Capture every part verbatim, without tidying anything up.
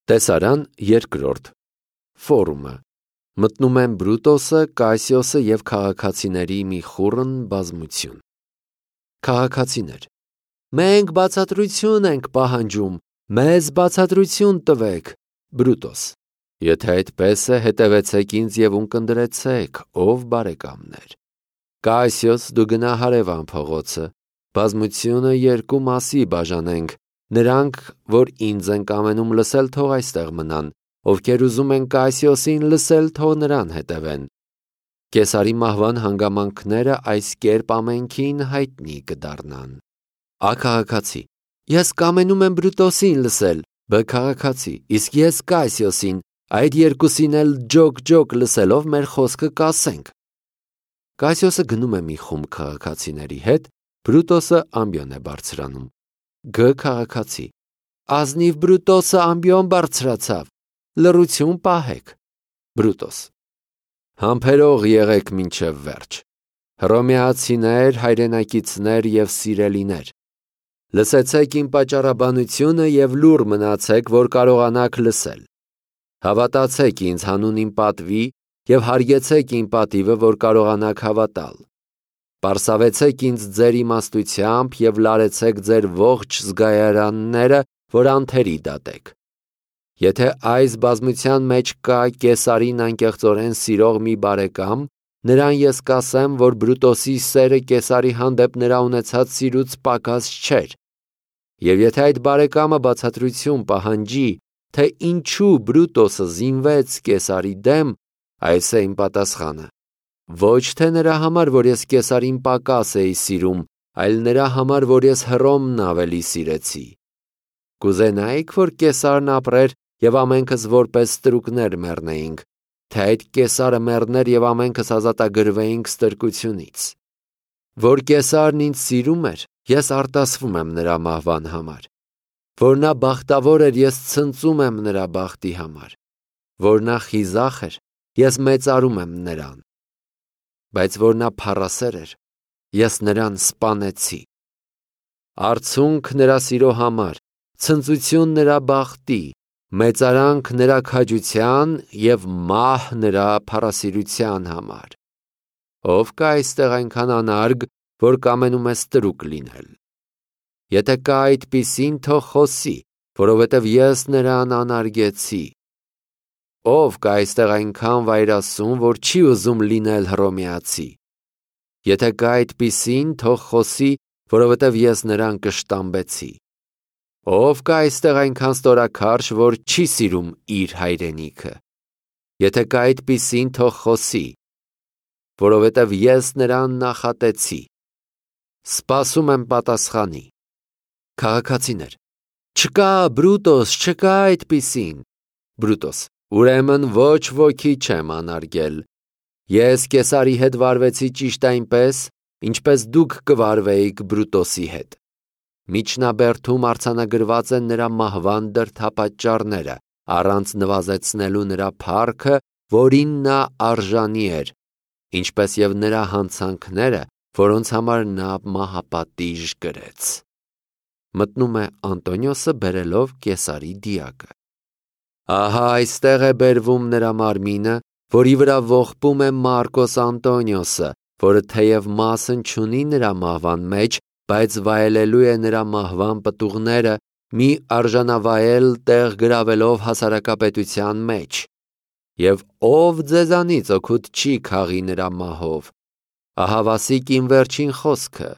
Տեսարան երկրորդ Ֆորումը Մտնում են Բրուտոսը, Կասիոսը և քաղաքացիների մի խուռն բազմություն։ Քաղաքացիներ. Մենք բացատրություն ենք պահանջում, մեզ բացատրություն տվեք։ Բրուտոս. Եթե այդպես է, հետևեցեք ինձ և ունկնդրեցեք, ով բարեկամներ։ Կասիոս, դու գնա հարևան փողոցը, բազմությունը երկու մասի բաժանենք, նրանք, որ ինձ են կամենում լսել, թող այստեղ մնան, ովքեր ուզում են Կասիոսին լսել, թող նրան հետևեն։ Կեսարի մահվան հանգամանքները այս կերպ ամենքին հայտնի կդառնան։ Ա քաղաքացի. Ես կամենում եմ Բրուտոսին լսել։ Բ քաղաքացի. Իսկ ես Կասիոսին, այդ երկուսին էլ ջոկ-ջոկ լսելով մեր խոսքը կասենք։ Կասիոսը գնում է մի խումբ քաղաքացիների հետ, Բրուտոսը ամբիոն է բարձրանում։ Գ քաղաքացի. Ազնիվ Բրուտոսը ամբիոն բարձրացավ, լռություն պահեք։ Բրուտոս. Համբերող եղեք մինչև վերջ։ Հռոմեացիներ, հայրենակիցներ և սիրելիներ, լսեցեք իմ պատճառաբանությունը և լուռ մնացեք, որ կարողանաք լսել։ Հավատացեք ինձ հանուն իմ պատվի և հարգեցեք իմ պատիվը, որ կարողանաք հավատալ։ Պարսավեցեք ինձ ձեր իմաստությամբ և լարեցեք ձեր ողջ զգայարանները, որ անթերի դատեք։ Եթե այս բազմության մեջ կա Կեսարին անկեղծորեն սիրող մի բարեկամ, նրան ես կասեմ, որ Բրուտոսի սերը Կեսարի հանդեպ նրա ունեցած սիրուց պակաս չէր։ Եվ եթե այդ բարեկամը բացատրություն պահանջի, թե ինչու Բրուտոսը զինվեց Կեսարի դեմ, այս է իմ պատասխանը. ոչ թե նրա համար, որ ես Կեսարին պակաս էի սիրում, այլ նրա համար, որ ես Հռոմն ավելի սիրեցի։ Կուզենայի՞ք, որ Կեսարն ապրեր և ամենքս որպես ստրուկներ մեռնեինք, թե այդ Կեսարը մեռներ և ամենքս ազատագրվեինք ստրկությունից։ Որ Կեսարն ինձ սիրում էր, ես արտասվում եմ նրա մահվան համար։ Որ նա բախտավոր էր, ես ցնծում եմ նրա բախտի համար։ Որ նա խիզախ էր, ես մեծարում եմ նրան։ Բայց որ նա փառասեր էր, ես նրան սպանեցի։ Արցունք նրա սիրո համար, ցնծություն նրա բախտի, մեծարանք նրա քաջության և մահ նրա փառասիրության համար։ Ով կա այստեղ այնքան անարգ, որ կամենում է ստրուկ լինել։ Եթե կա այդպիսին, թող խոսի, որովհետև ես նրան անարգեցի։ Ով կա այստեղ այնքան վայրասուն, որ չի ուզում լինել հռոմեացի։ Եթե կա այդպիսին, թող խոսի, որովհետև ես նրան կշտամբեցի։ Ով կա այստեղ այնքան ստորաքարշ, որ չի սիրում իր հայրենիքը։ Եթե կա այդպիսին, թող խոսի, որովհետև ես նրան նախատեցի։ Սպասում եմ պատասխանի։ Քաղաքացիներ. Չկա, Բրուտոս, չկա այդպիսին։ Բրուտոս. Ուրեմն ոչ ոքի չեմ անարգել։ Ես Կեսարի հետ վարվեցի ճիշտ այնպես, ինչպես դուք կվարվեիք Բրուտոսի հետ։ Միջնաբերդում արձանագրված են նրա մահվան դրդապատճառները, առանց նվազեցնելու նրա փառքը, որին նա արժանի էր, ինչպես և նրա հանցանքները, որոնց համար նա մահապատիժ կրեց։ Մտնում է Անտոնիոսը բերելով Կեսարի դիակը։ Ահա այստեղ է բերվում նրա մարմինը, որի վրա ողբում է Մարկոս Անտոնիոսը, որը թեև մասն չունի նրա մահվան մեջ, բայց վայելելու է նրա մահվան պտուղները, մի արժանավայել տեղ գրավելով հասարակապետության մեջ։ Եվ ով ձեզանից օգուտ չի քաղի նրա մահով։ Ահավասիկ իմ վերջին խոսքը.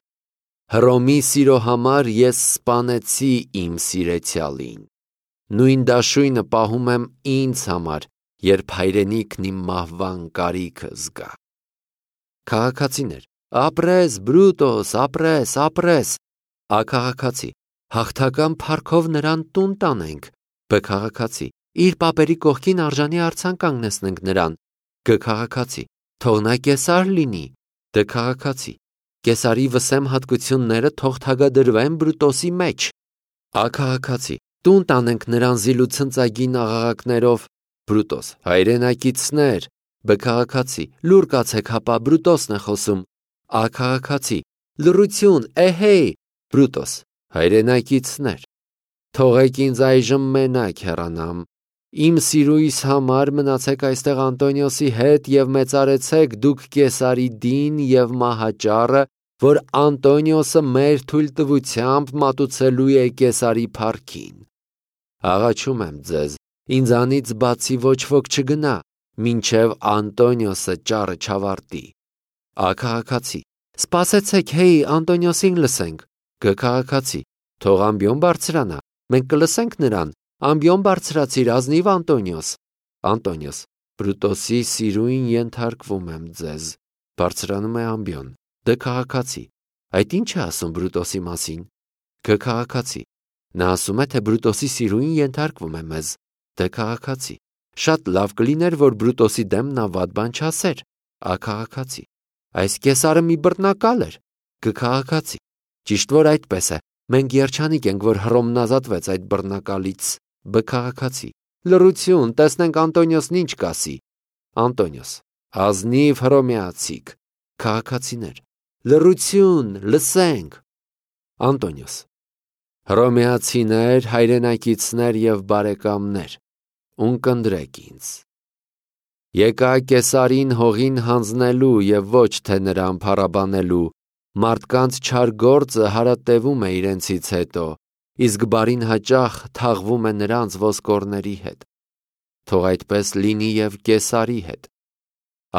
Հռոմի սիրո համար ես սպանեցի իմ սիրեցյալին։ Նույն դաշույնը պահում եմ ինձ համար, երբ հայրենիքն իմ մահվան կարիքը զգա։ Քաղաքացիներ. Ապրես, Բրուտոս, ապրես, ապրես։ Ա քաղաքացի. հաղթական փառքով նրան տուն տանենք։ Բ քաղաքացի. իր պապերի կողքին արժանի արձան կանգնեցնենք նրան։ Գ քաղաքացի. թող նա Կեսար լինի։ Դ քաղաքացի. Կեսարի վսեմ հատկությունները թող թագադրվեն Բրուտոսի մեջ։ Ա քաղաքացի. տուն տանենք նրան զիլուցնծագին աղաղակներով։ Բրուտոս. հայրենակիցներ։ Բ քաղաքացի. լուռ կացեք, հապա Բրուտոսն է խոսում։ Ա քաղաքացի. լռություն, էհեյ։ Բրուտոս. հայրենակիցներ։ Թողեք ինձ այժմ մենակ հեռանամ, Իմ սիրույս համար մնացեք այստեղ Անտոնիոսի հետ և մեծարեցեք դուք Կեսարի դին և մահաճառը, որ Անտոնիոսը մեր թույլտվությամբ մատուցելու է Կեսարի փառքին։ Աղաչում եմ ձեզ, ինձանից բացի ոչ ոք չգնա, մինչև Անտոնիոսը ճառը չավարտի։ Ա քաղաքացի. Սպասեցեք, հեյ, Անտոնիոսին լսենք։ Գ քաղաքացի. Թող ամբիոն բարձրանա, մենք կլսենք նրան։ Ամբիոն բարձրացիր, ազնիվ Անտոնիոս։ Անտոնիոս. Բրուտոսի սիրույն ենթարկվում եմ ձեզ։ Բարձրանում է ամբիոն։ Դ քաղաքացի. Այդ ի՞նչ է ասում Բրուտոսի մասին։ Գ քաղաքացի. Նա ասում է, թե Բրուտոսի սիրույն ենթարկվում է մեզ։ Դ քաղաքացի. Շատ լավ կլիներ, որ Բրուտոսի դեմ նա վատ բան չասեր։ Ա քաղաքացի. Այս Կեսարը մի բռնակալ էր։ Գ քաղաքացի. Ճիշտ որ այդպես է, մենք երջանիկ ենք, որ Հռոմն ազատվեց այդ բռնակալից։ Բ քաղաքացի. Լռություն, տեսնենք Անտոնիոսն ինչ կասի։ Անտոնիոս. Ազնիվ հռոմեացիք։ Քաղաքացիներ. Լռություն, լսենք։ Անտոնիոս. Հռոմեացիներ, հայրենակիցներ և բարեկամներ, ունկնդրեք ինձ։ Եկա Կեսարին հողին հանձնելու և ոչ թե նրան փառաբանելու, մարդկանց չար գործը հարատևում է իրենցից հետո, իսկ բարին հաճախ թաղվում է նրանց ոսկորների հետ։ Թող այդպես լինի և Կեսարի հետ։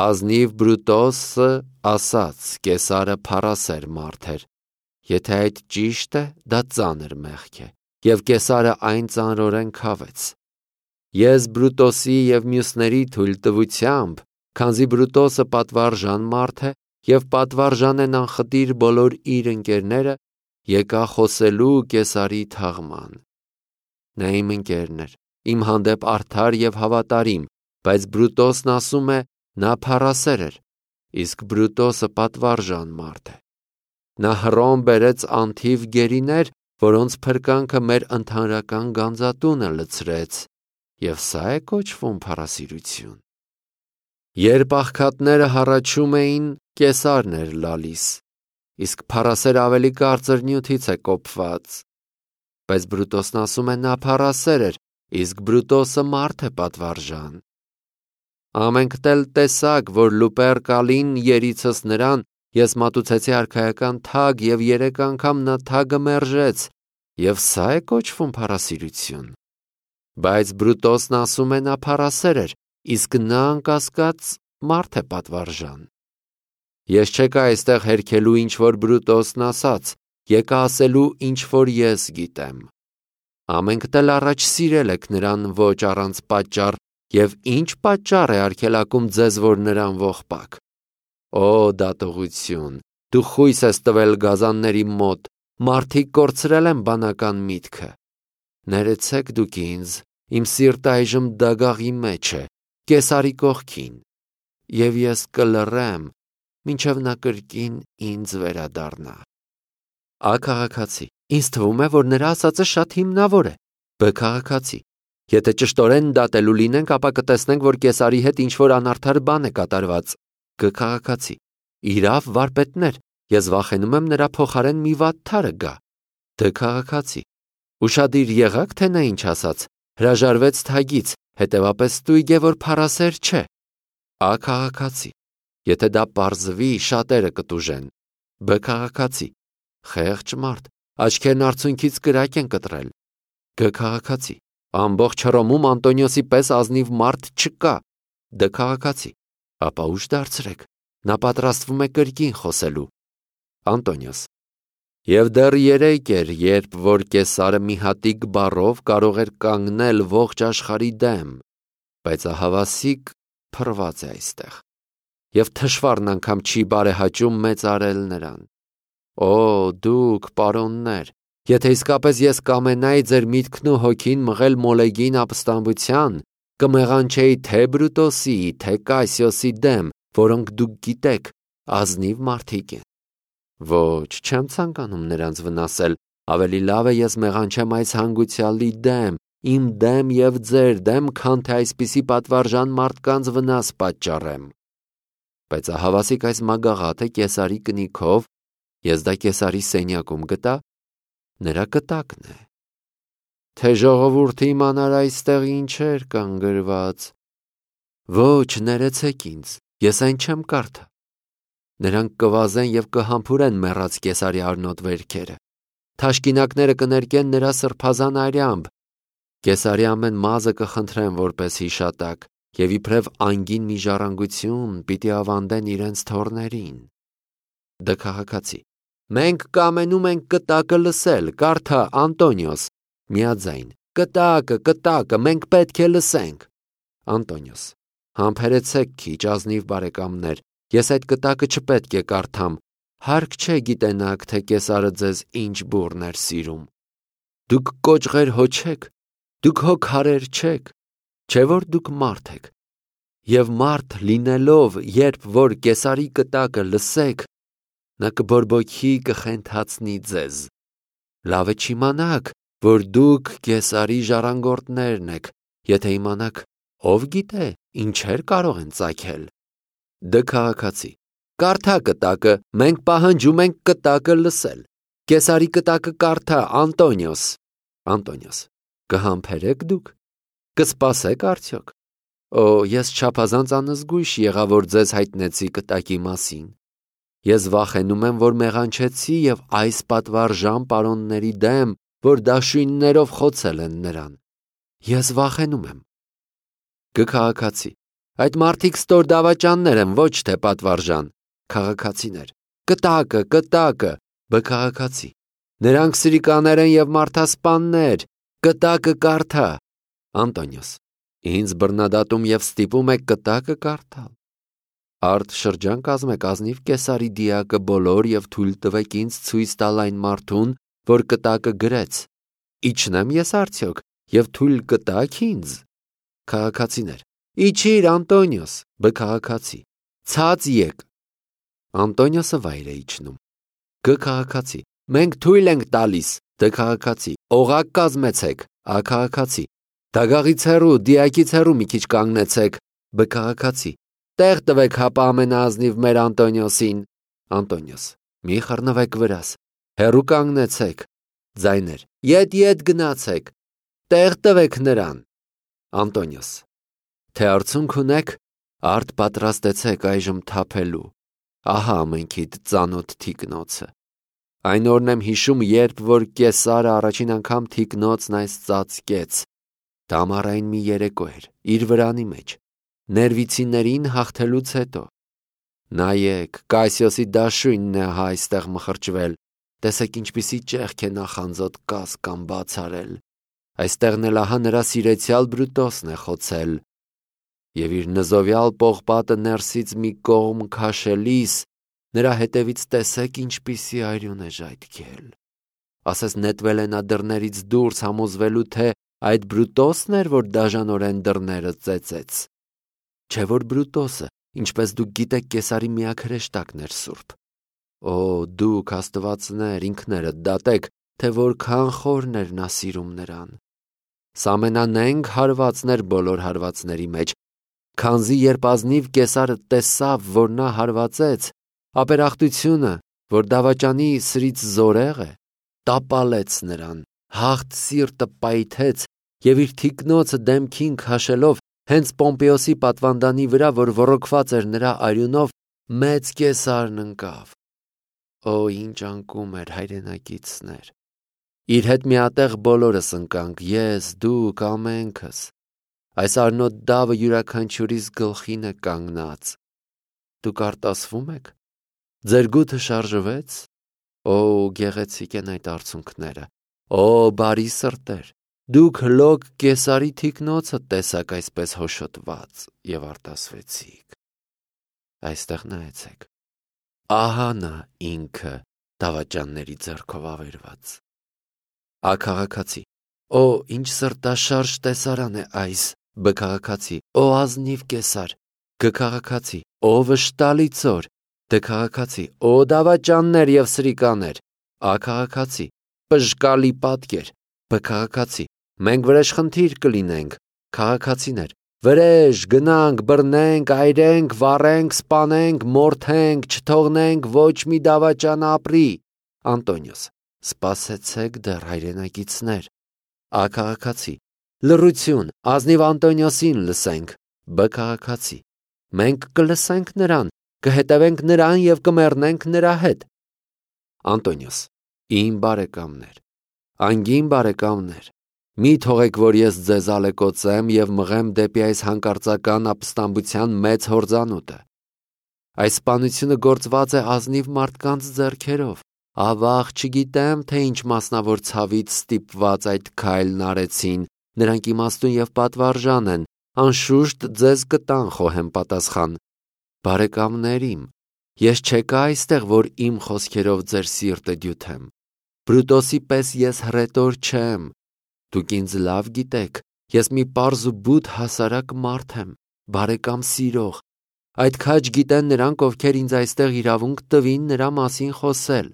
Ազնիվ Բրուտոսը ասաց, Կեսարը փառասեր մարդ էր։ Եթե այդ ճիշտ է, դա ծանր մեղք է, և Կեսարը այն ծանրորեն քավեց։ Ես Բրուտոսի և մյուսների թույլտվությամբ, քանզի Բրուտոսը պատվարժան մարդ է և պատվարժան են անխտիր բոլոր իր ընկերները, եկա խոսելու Կեսարի թաղման։ Նա իմ ընկերն էր, իմ հանդեպ արդար և հավատարիմ, բայց Բրուտոսն ասում է, նա փառասեր էր, իսկ Բրուտոսը պատվարժան մարդ է։ Նա Հռոմ բերեց անթիվ գերիներ, որոնց փրկանքը մեր ընդհանրական գանձատունը լցրեց, և սա է կոչվում փառասիրություն։ Երբ աղքատները հառաչում էին, Կեսարն էր լալիս, իսկ փառասերը ավելի կարծր նյութից է կոփված։ Բայց Բրուտոսն ասում է, նա փառասեր էր, իսկ Բրուտոսը մարդ է պատվարժան։ Ամենք էլ տեսակ, որ Լուպերկալին երիցս նրան ես մատուցեցի արքայական թագ և երեք անգամ նա թագը մերժեց, և սա է կոչվում փառասիրություն։ Բայց Բրուտոսն ասում է, նա փառասեր էր, իսկ նա անկասկած մարդ է պատվարժան։ Ես չեկա այստեղ հերքելու ինչ որ Բրուտոսն ասաց, եկա ասելու ինչ որ ես գիտեմ։ Ամենք էլ առաջ սիրել եք նրան ոչ առանց պատճառ, և ինչ պատճառ է արգելակում ձեզ, որ նրան ողբաք։ Օ դատողություն, դու խույս ես տվել գազանների մոտ, մարդիկ կորցրել են բանական միտքը։ Ներեցեք դուք ինձ, իմ սիրտը այժմ դագաղի մեջ է, Կեսարի կողքին, և ես կլռեմ, մինչև նա կրկին ինձ վերադառնա։ Ա քաղաքացի. Ինձ թվում է, որ նրա ասածը շատ հիմնավոր է։ Բ քաղաքացի. Եթե ճշտորեն դատելու լինենք, ապա կտեսնենք, որ Կեսարի հետ ինչ-որ անարդար բան է կատարված։ Գ քաղաքացի. Իրավ, վարպետներ, ես վախենում եմ նրա փոխարեն մի վատթարը գա։ Դ քաղաքացի. Ուշադիր եղաք, թե նա ինչ ասաց, հրաժարվեց թագից, հետևապես ստույգ է, որ փառասեր չէ։ Ա քաղաքացի. Եթե դա պարզվի, շատերը կտուժեն։ Բ քաղաքացի. Խեղճ մարդ, աչքերն արցունքից կրակ են կտրել։ Գ քաղաքացի. Ամբողջ Հռոմում Անտոնիոսի պես ազնիվ մարդ չկա։ Դ քաղաքացի. Ապա ուշ դարձրեք, նա պատրաստվում է կրկին խոսելու։ Անտոնիոս. Եվ դեռ երեկ էր, երբ որ Կեսարը մի հատիկ բառով կարող էր կանգնել ողջ աշխարհի դեմ, բայց ահավասիկ փռված է այստեղ, և թշվառն անգամ չի բարեհաճում մեծարել նրան։ Օ դուք, պարոններ, եթե իսկապես ես կամենայի ձեր միտքն ու հոգին մղել Մոլեգին ապստամբության, կմեղանչեի թե Բրուտոսի, թե Կասիոսի դեմ, որոնք դուք գիտեք, ազնիվ մարդիկ են։ Ոչ, չեմ ցանկանում նրանց վնասել, ավելի լավ է ես մեղանչեմ այս հանգուցյալի դեմ, իմ դեմ և ձեր դեմ, քան թե այսպիսի պատվարժան մարդկանց վնաս պատճառեմ։ Բայց ահավասիկ այս մագաղաթը Կեսարի կնիքով, ես դա Կեսարի սենյակում գտա, նրա կտակն է։ թե ժողովուրդը իմանար այստեղ ինչեր կան գրված։ Ոչ, ներեցեք ինձ, ես այն չեմ կարդա։ Նրանք կվազեն և կհամբուրեն մեռած Կեսարի արնոտ վերքերը։ Թաշկինակները կներկեն նրա սրբազան արյամբ։ Կեսարի ամեն մազը կխնդրեն որպես հիշատակ, և իբրև անգին մի ժառանգություն պիտի ավանդեն իրենց թոռներին։ Դ քաղաքացի. Մենք կամենում ենք կտակը լսել, կարդա Անտոնիոս, միաձայն, կտակը, կտակը, մենք պետք է լսենք։ Անտոնիոս. Համբերեցեք քիչ, ազնիվ բարեկամներ, ես այդ կտակը չպետք է կարդամ, հարկ չէ գիտենաք, թե Կեսարը ձեզ ինչ բուռն էր սիրում։ Դուք կոճղեր հո չեք, դուք հո քարեր չեք, չէ որ դուք մարդ եք։ Եվ մարդ լինելով, երբ որ Կեսարի կտակը լսեք, նա կբորբոքի կխենթացնի ձեզ։ Լավ է չիմանաք, որ դուք Կեսարի ժառանգորդներն եք, եթե իմանաք, ով գիտե, ինչեր կարող են ծագել։ Դ քաղաքացի. Կարդա կտակը, մենք պահանջում ենք կտակը լսել։ Կեսարի կտակը կարդա Անտոնիոս։ Անտոնիոս. Կհամբերեք դուք։ Կսպասեք արդյոք։ Օ, ես չափազանց անզգույշ եղա, որ ձեզ հայտնեցի կտակի մասին։ Ես վախենում եմ, որ մեղանչեցի և այս պատվարժան պարոնների դեմ, որ դաշույններով խոցել են նրան։ Ես վախենում եմ։ Գ քաղաքացի. Այդ մարդիկ ստոր դավաճաններ են, ոչ թե պատվարժան։ Քաղաքացիներ. Կտակը, կտակը։ Բ քաղաքացի. Նրանք սրիկաներ են և մարդասպաններ, կտակը կարդա։ Անտոնիոս. Ինձ բռնադատում և ստիպում եք կտակը կարդալ։ Արդ շրջան կազմեք ազնիվ Կեսարի դիակը բոլոր և թույլ տվեք ինձ ցույց տալ այն մարդուն, որ կտակը գրեց։ Իջնեմ ես արդյոք և թույլ կտաք ինձ։ Քաղաքացիներ. Իջիր, Անտոնիոս։ Բ քաղաքացի. Ցած եկ։ Անտոնիոսը վայր է իջնում։ Գ քաղաքացի. Մենք թույլ ենք տալիս։ Դ քաղաքացի. Օղակ կազմեցեք։ Ա քաղաքացի. Դագաղից հեռու, դիակից հեռու մի քիչ կանգնեցեք։ Բ քաղաքացի. Տեղ տվեք հապա ամենաազնիվ մեր Անտոնիոսին։ Անտոնիոս. Մի խռնվեք վրաս, հեռու կանգնեցեք։ Ձայներ. Ետ ետ գնացեք, տեղ տվեք նրան։ Անտոնիոս. Թե արդյունք ունեք, արդ պատրաստեցեք այժմ թափելու։ Ահա ամենքիդ ծանոթ թիկնոցը։ Այն օրն եմ հիշում, երբ որ Կեսարը առաջին անգամ թիկնոցն այս ծածկեց։ Դա ամառային մի երեկո էր, իր վրանի մեջ, ներվիցիներին հաղթելուց հետո։ Նայեք, Կասիոսի դաշույնն է հա այստեղ մխրճվել, տեսեք ինչպիսի ճեղք է նախանձոտ կաս կամ բացարել, այստեղն էլ ահա նրա սիրեցյալ Բրուտոսն է խոցել, և իր նզովյալ պողպատը ներսից մի կողմ քաշելիս, նրա հետևից տեսեք ինչպիսի այրուն է ժայթքել, ասես նետվել է նա դռներից դուրս համոզվելու, թե այդ Բրուտոսն էր, որ դաժանորեն դռները ծեծեց, չէ որ Բրուտոսը, ինչպես դուք գիտեք, Կեսարի միակ հրեշտակն էր սուրբ։ Օ, դուք աստվածներ, ինքներդ դատեք, թե որքան խորն էր նա սիրում նրան։ Սա ամենանենգ հարվածն էր բոլոր հարվածների մեջ, քանզի երբ ազնիվ Կեսարը տեսավ, որ նա հարվածեց, ապերախտությունը, որ դավաճանի սրից զորեղ է, տապալեց նրան, հաղթ սիրտը պայթեց և իր թիկնոցը դեմքին քաշելով հենց Պոմպեոսի պատվանդանի վրա, որ ոռոգված էր նրա արյունով, մեծ Կեսարն ընկավ։ Օ, ինչ անկում էր, հայրենակիցներ։ Իր հետ միատեղ բոլորս ընկանք, ես, դուք, ամենքս։ Այս արնոտ դավը յուրաքանչյուրիս գլխին է կանգնած։ Դուք արտասվում եք։ Ձեր գութը շարժվեց։ Օ, գեղեցիկ են այդ արցունքները։ Օ, բարի սրտեր։ Դուք հլոք Կեսարի թիկնոցը տեսաք այսպես հոշոտված և արտասվեցիք։ Այստեղ նայեցեք։ Ահա նա ինքը դավաճանների ձեռքով ավերված։ Ա քաղաքացի. Օ, ինչ սրտաշարժ տեսարան է այս։ Բ քաղաքացի. Օ, ազնիվ Կեսար։ Գ քաղաքացի. Օ, վշտալի ծոր։ Դ քաղաքացի. Օ, դավաճաններ և սրիկաներ։ Ա քաղաքացի. Պժկալի պատկեր։ Բ քաղաքացի. Մենք վրեժխնդիր կլինենք։ Քաղաքացիներ. Վրեժ, գնանք, բռնենք, այրենք, վառենք, սպանենք, մորթենք, չթողնենք ոչ մի դավաճան ապրի։ Անտոնիոս. Սպասեցեք դեռ, հայրենակիցներ։ Ա քաղաքացի. Լռություն, ազնիվ Անտոնիոսին լսենք։ Բ քաղաքացի. Մենք կլսենք նրան, կհետևենք նրան և կմեռնենք նրա հետ։ Անտոնիոս. Իմ բարեկամներ, անգին բարեկամներ, մի թողեք, որ ես ձեզ ալեկոծեմ և մղեմ դեպի այս հանկարծական ապստամբության մեծ հորձանուտը։ Այս սպանությունը գործված է ազնիվ մարդկանց ձեռքերով։ Ավաղ չգիտեմ, թե ինչ մասնավոր ցավից ստիպված այդ քայլն արեցին, նրանք իմաստուն և պատվարժան են, անշուշտ ձեզ կտան խոհեմ պատասխան։ Բարեկամներ իմ, ես չեկա այստեղ, որ իմ խոսքերով ձեր սիրտը դյութեմ։ Բրուտոսի պես ես հռետոր չեմ։ Դուք ինձ լավ գիտեք, ես մի պարզ ու բութ հասարակ մարդ եմ, բարեկամ սիրող։ Այդ քաջ գիտեն նրանք, ովքեր ինձ այստեղ իրավունք տվին նրա մասին խոսել։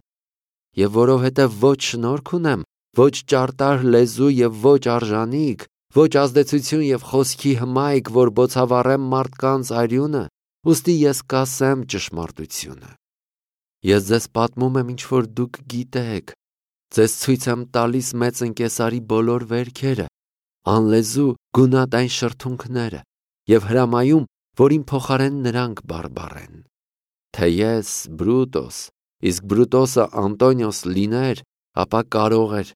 Եվ որովհետև ոչ շնորհք ունեմ, ոչ ճարտար լեզու և ոչ արժանիք, ոչ ազդեցություն և խոսքի հմայք, որ բոցավառեմ մարդկանց արյունը, ուստի ես կասեմ ճշմարտությունը։ Ես ձեզ պատմում եմ, ինչ որ դուք գիտեք, ձեզ ցույց եմ տալիս մեծ ընկեսարի բոլոր վերքերը, անլեզու գունատ այն շրթունքները և հրամայում, որ իմ փոխարեն նրանք բարբառեն։ Թե ես Բրուտոս, իսկ Բրուտոսը Անտոնիոս լիներ, ապա կարող էր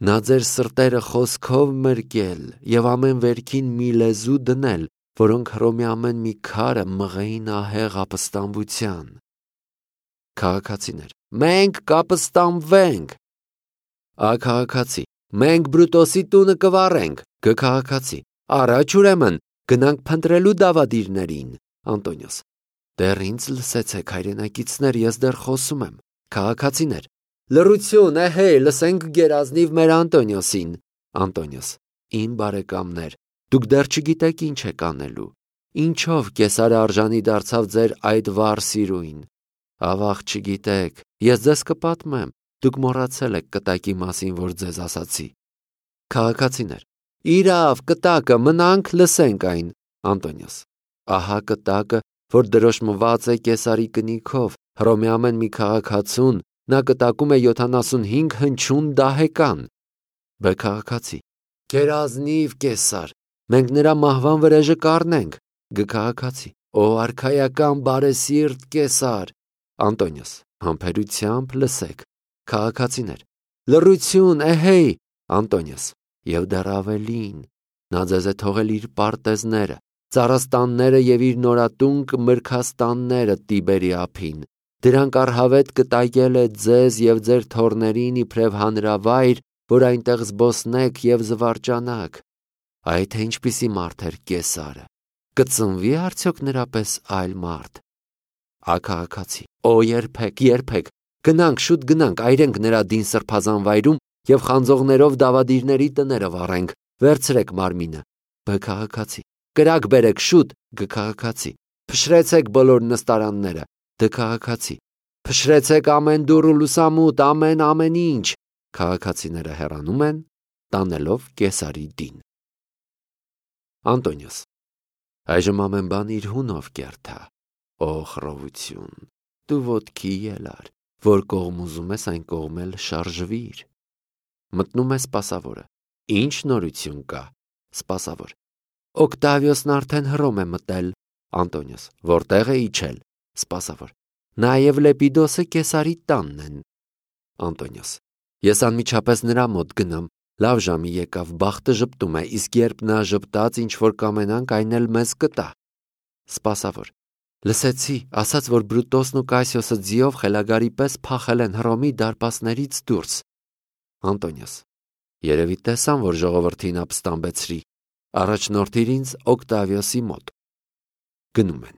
նա ձեր սրտերը խոսքով մրկել և ամեն վերքին մի լեզու դնել, որոնք Հռոմի ամեն մի քարը մղեին ահեղ ապստամբության։ Քաղաքացիներ. Մենք կապստամբվենք։ Ա քաղաքացի. Մենք Բրուտոսի տունը կվառենք։ Գ քաղաքացի. Առաջ ուրեմն գնանք փնտրելու դավադիրներին։ Անտոնիոս. Դեռ ինձ լսեցեք, հայրենակիցներ, ես դեռ խոսում եմ։ Քաղաքացիներ. Լռություն, էհե, լսենք գերազնիվ մեր Անտոնիոսին։ Անտոնիոս. Իմ բարեկամներ, դուք դեռ չգիտեք ինչ եք անելու։ Ինչով Կեսարը արժանի դարձավ ձեր այդ վառ սիրուին։ Ավաղ չգիտեք, ես ձեզ կպատմեմ, դուք մոռացել եք կտակի մասին, որ ձեզ ասացի։ Քաղաքացիներ. Իրավ, կտակը, մնանք լսենք այն։ Անտոնիոս. Ահա կտակը, որ դրոշմված է Կեսարի կնիքով, Հռոմի ամեն մի քաղաքացուն, նա կտակում է յոթանասունհինգ հնչյուն դահեկան։ Բ քաղաքացի. Գերազնիվ Կեսար, մենք նրա մահվան վրեժը կառնենք։ Գ քաղաքացի. Ո արքայական բարեսիրտ Կեսար։ Անտոնիոս. Համբերությամբ լսեք։ Քաղաքացիներ. Լռություն, էհեյ։ Անտոնիոս. Եվ դեռ ավելին, նա ձեզ է թողել իր պարտեզները, ծառաստանները և իր նորատունկ մրգաստանները Տիբերի ափին։ Դրանք առհավետ կտակել է ձեզ և ձեր թոռներին իբրև հանրավայր, որ այնտեղ զբոսնեք և զվարճանաք։ Այ թե ինչպիսի մարդ էր Կեսարը։ Կծնվի արդյոք նրա պես այլ մարդ։ Ա քաղաքացի. Օ երբեք, երբեք, գնանք, շուտ գնանք, այրենք նրա դին սրբազան վայրում և խանձողներով դավադիրների տները վառենք, վերցրեք մարմինը։ Բ քաղաքացի. Կրակ բերեք, շուտ։ Գ քաղաքացի. Փշրեցեք բոլոր նստարանները։ Դ քաղաքացի. Փշրեցեք ամեն դուռ ու լուսամուտ, ամեն ամեն ինչ։ Քաղաքացիները հեռանում են, տանելով Կեսարի դին։ Անտոնիոս. Այժմ ամեն բան իր հունով կերթա։ Օ խռովություն, դու ոտքի ելար, որ կողմ ուզում ես այն կողմ էլ շարժվիր։ Մտնում է սպասավորը. Ինչ նորություն կա։ Սպասավոր. Օկտավիոսն արդեն Հռոմ է մտել։ Անտոնիոս. Որտեղ է իջել։ Սպասավոր. Նաև Լեպիդոսը Կեսարի տանն են։ Անտոնիոս. Ես անմիջապես նրա մոտ գնամ, լավ ժամի եկավ, բախտը ժպտում է, իսկ երբ նա ժպտաց, ինչ որ կամենանք, այն էլ մեզ կտա։ Սպասավոր. Լսեցի, ասաց, որ Բրուտոսն ու Կասիոսը ձիով խելագարի պես փախել են Հռոմի դարպասներից դուրս։ Անտոնիոս. Երևի տեսան, որ ժողովրդին ապստամբեցրի, առաջնորդիր ինձ Օկտավիոսի մոտ։ Գնում են։